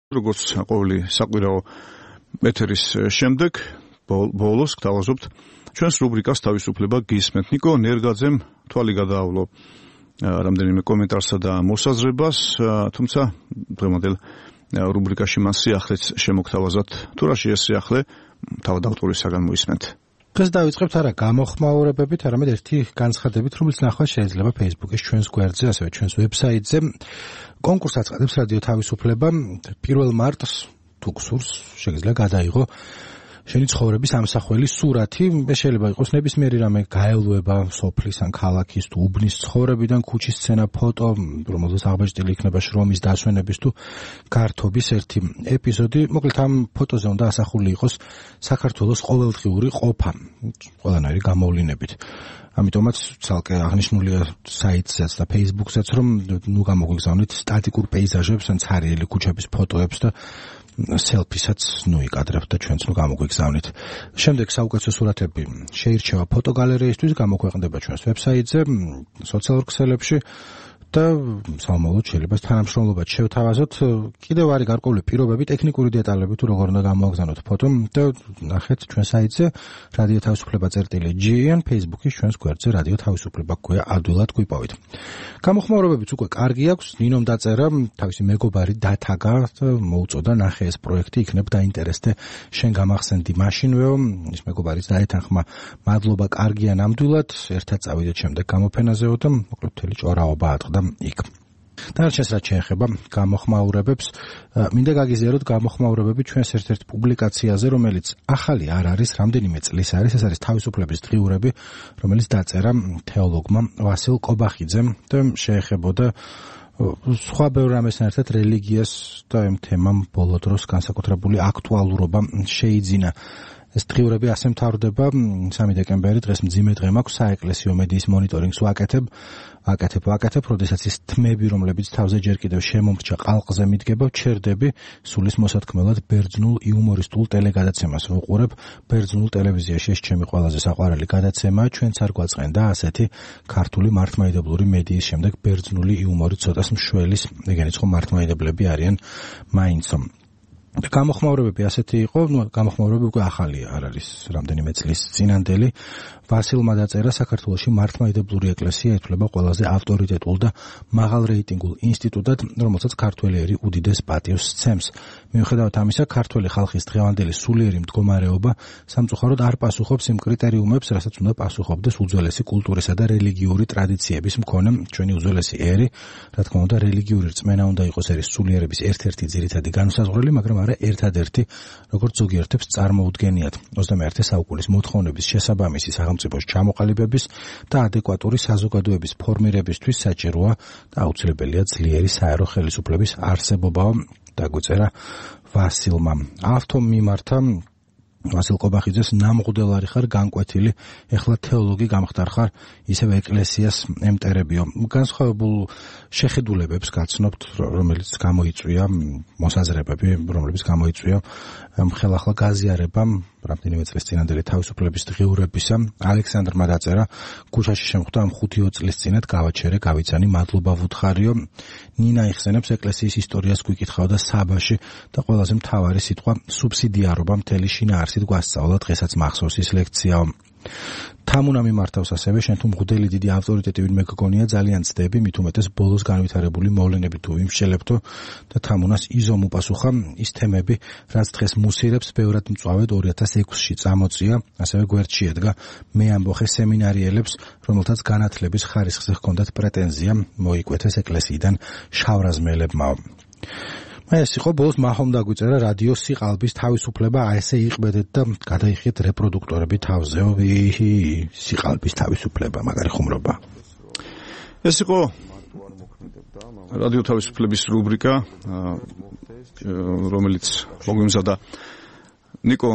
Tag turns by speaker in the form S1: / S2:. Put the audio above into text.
S1: როგორც ყოველი საკვირაო ეთერის შემდეგ ბოლოს გთავაზობთ ჩვენს რუბრიკას თავისუფლება გისმენთ. ნიკო ნერგაძემ თვალი გადაავლო რამდენიმე კომენტარსა და მოსაზრებას, თუმცა დღევანდელ რუბრიკაში მას სიახლეც შემოგთავაზოთ. თუ რა შეეს სიახლე, თავად ავტორისაგან მოისმენთ.
S2: დღეს დავიწყებთ არა გამოხმაურებებით, არამედ ერთი განცხადებით, რომელიც ნახვა შეიძლება Facebook-ის ჩვენს გვერდზე, ასევე ჩვენს ვებსაიტზე. კონკურსს აწყდებს რადიო თავისუფლება 1 მარტს, თუ გსურს, შეგიძლია გადაიღო შენი ცხოვრების ამსახველი სურათი. შეიძლება იყოს ნებისმიერი რამე გაელვება სოფლის ან ქალაქის თუ უბნის ცხოვრებიდან, ქუჩის სცენა, ფოტო, რომელზეც აღბეჭდილი იქნება შრომის დასვენების თუ გართობის ერთი ეპიზოდი. მოკლედ ამ ფოტოზე უნდა ასახული იყოს საქართველოს ყოველდღიური ყოფა, ყველანაირი გამოვლინებით. ამიტომაც ცალკე აღნიშნულია საიტზეც და Facebook-ზეც, რომ ნუ გამოგვიგზავნით სტატიკურ პეიზაჟებს ან ცარიელი ქუჩების ფოტოებს და სელფისაც იკადრებთ და ჩვენც გამოგვიგზავნით. შემდეგ საუკეთესო სურათები შეირჩევა ფოტოგალერეისთვის, გამოქვეყნდება ჩვენს ვებსაიტზე, სოციალურ ქსელებში და სამომავლოდ შეიძლება თანამშრომლობად შევთავაზოთ. კიდევ არის გარკვეული პირობები, ტექნიკური დეტალები თუ როგორ უნდა გამოაგზავნოთ ფოტო და ნახეთ ჩვენ საიტზე რადიო თავისუფლება.gr, Facebook-ის ჩვენს გვერდზე რადიო თავისუფლება გვია ადვილად გვიპოვით. გამოხმაურებებიც უკვე კარგი აქვს, ნინომ დაწერა, თავისი მეგობარი დათაგა და მოუწოდა ნახე ეს პროექტი, იქნებ დაინტერესდე, შენ გამახსენდი მაშინვეო, ის მეგობარიც დაეთანხმა, მადლობა, კარგია ნამდვილად, ერთად წავიდეთ შემდეგ გამოფენაზეო და მოკლედ მთელი ჭორაობა ატყდა იქ. დანარჩენს რაც შეეხება გამოხმაურებებს, მინდა გაგიზიაროთ გამოხმაურებები ჩვენს ერთ-ერთ პუბლიკაციაზე, რომელიც ახალი არ არის, რამდენიმე წლის არის, ეს არის თავისუფლების დღიურები, რომელიც დაწერა თეოლოგმა ვასილ კობახიძემ და შეეხებოდა სხვა ბევრ რამესთან ერთად რელიგიას და ამ თემამ ბოლო დროს განსაკუთრებული აქტუალურობა შეიძინა. ეს დღიურები ასე მთავრდება 3 დეკემბერი, დღეს მძიმე დღე მაქვს, საეკლესიო მედიის მონიტორინგს ვაკეთებ, როდესაც ის თმები, რომლებიც თავზე ჯერ კიდევ შემომრჩა ყალყზე მიდგება, ვჩერდები სულის მოსათქმელად ბერძნულ იუმორისტულ ტელეგადაცემას ვუყურებ. ბერძნულ ტელევიზიაში ეს ჩემი ყველაზე საყვარელი გადაცემაა, ჩვენც არ გვაწყენდა ასეთი ქართული მართლმადიდებლური მედიის შემდეგ ბერძნული იუმორი ცოტას მშველის, ეგენიც ხო მართლმადიდებლები არიან მაინცო. გამოხმაურებები ასეთი იყო, გამოხმაურებები უკვე ახალი არ არის, რამდენიმე წლის წინანდელი. ვასილმა დაწერა, საქართველოში მართლმადიდებლური ეკლესია ითვლება ყველაზე ავტორიტეტულ და მაღალ რეიტინგულ ინსტიტუტად, რომელსაც ქართველი ერი უდიდეს პატივს სცემს. მიუხედავად ამისა, ქართველი ხალხის დღევანდელი სულიერი მდგომარეობა სამწუხაროდ არ პასუხობს იმ კრიტერიუმებს, რასაც უნდა პასუხობდეს უძველესი კულტურისა და რელიგიური ტრადიციების მქონე ჩვენი უძველესი ერი. რა თქმა უნდა, რელიგიური რწმენა უნდა იყოს ერის სულიერების ერთ-ერთი ძირითადი განმსაზღვრელი, მაგრამ არა ერთადერთი, როგორც ზოგიერთებს წარმოუდგენიათ. 21 საუკუნის მოთხოვნების შესაბამისი სახელმწიფოს ჩამოყალიბების და ადეკვატური საზოგადოების ფორმირებისთვის საჭიროა და აუცილებელია ძლიერი საერო ხელისუფლების არსებობაო, დაგვიწერა ვასილმა. ავთომ მიმართა ვასილ კობახიძეს, ნამღუდელარი ხარ, განკვეთილი, ეხლა თეოლოგი გამხდარ ხარ, ისევ ეკლესიას ემტერებიო. განსხვავებულ შეხედულებებს გაცნობთ, რომელიც გამოიწვია მოსაზრებები, რომლებიც გამოიწვია ხელახლა გაზიარებამ რამდენიმე წლის წინანდელი თავისუფლების დღიურებისა. ალექსანდრმა დაწერა, ქუჩაში შემხვდა ამ 5 წლის წინათ, გავაჩერე, გავიცანი, მადლობა ვუთხარიო. ნინა იხსენებს ეკლესიის ისტორიას გვიკითხავდა საბაში და ყველაზე მთავარი სიტყვა სუბსიდიარობა მთელი შინაარსით გვასწავლა, დღესაც მახსოვს ის ლექციაო. თამუნა მიმართავს ასევე, შენ თუ მღვდელი დიდი ავტორიტეტი ვინმე გგონია, ძალიან ცდები, მით უმეტეს ბოლოს განვითარებული მოვლენები თუ ვიმშელებთო და თამუნას იზომ უპასუხა, ის თემები, რაც დღეს მუსირებს, ბევრად მწვავედ 2006-ში წამოწია, ასევე გვერდში ედგა მე ამბოხე სემინარიელებს, რომელთაც განათლების ხარისხზე ჰქონდათ პრეტენზია, მოიკვეთეს ეკლესიიდან შავრაზმელებმაო. ეს იყო ბოლოს მაჰომ დაგვიწერა რადიო სიყალბის თავისუფლება, ესე იყბედეთ და გადაიხიეთ რეპროდუქტორები თავზეო. სიყალბის თავისუფლება, მაგარი ხუმრობა.
S1: ეს იყო რადიო თავისუფლების რუბრიკა, რომელიც მოგვიმზადა ნიკო